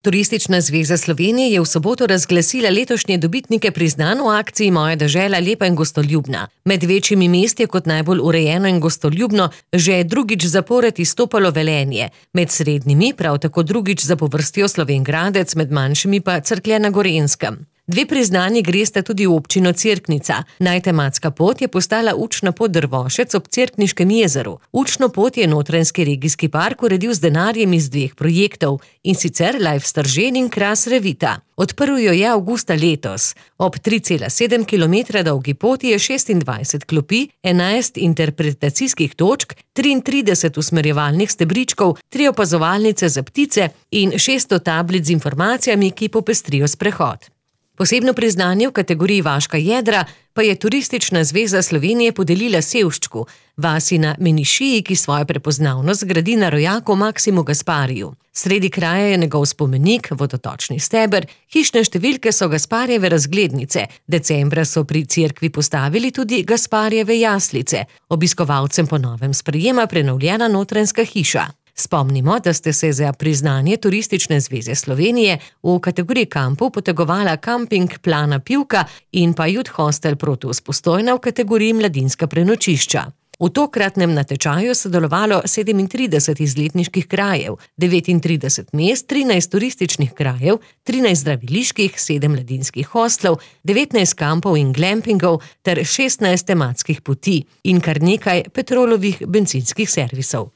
Turistična zveza Slovenije je v soboto razglasila letošnje dobitnike priznanj v akciji Moja dežela lepa in gostoljubna. Med večjimi mesti je kot najbolj urejeno in gostoljubno že drugič zapored izstopalo Velenje. Med srednjimi prav tako drugič zapovrstjo Slovenj Gradec, med manjšimi pa Cerklje na Gorenjskem. Dve priznanji gresta tudi v občino Cerknica. Najtematska pot je postala učna pot Drvošec ob Cerkniškem jezeru. Učno pot je Notranjski regijski park uredil z denarjem iz dveh projektov, in sicer Life Stržen in Kras Revita. Odprl jo je avgusta letos. Ob 3,7 km dolgi poti je 26 klopi, 11 interpretacijskih točk, 33 usmerjevalnih stebričkov, 3 opazovalnice za ptice in 600 tablic z informacijami, ki popestrijo sprehod. Posebno priznanje v kategoriji Vaška jedra pa je Turistična zveza Slovenije podelila Sevščku, vasi na Menišiji, ki svojo prepoznavnost gradi na rojaku Maksimu Gaspariju. Sredi kraja je njegov spomenik, vodotočni steber, hišne številke so Gasparjeve razglednice, decembra so pri cerkvi postavili tudi Gasparjeve jaslice, obiskovalcem po novem sprejema prenovljena notranjska hiša. Spomnimo, da ste se za priznanje Turistične zveze Slovenije v kategoriji kampov potegovala Kamping Plana Pivka in pa Youth Hostel Protus Postojna v kategoriji mladinska prenočišča. V tokratnem natečaju sodelovalo 37 izletniških krajev, 39 mest, 13 turističnih krajev, 13 zdraviliških, 7 mladinskih hostlov, 19 kampov in glampingov ter 16 tematskih poti in kar nekaj Petrolovih bencinskih servisov.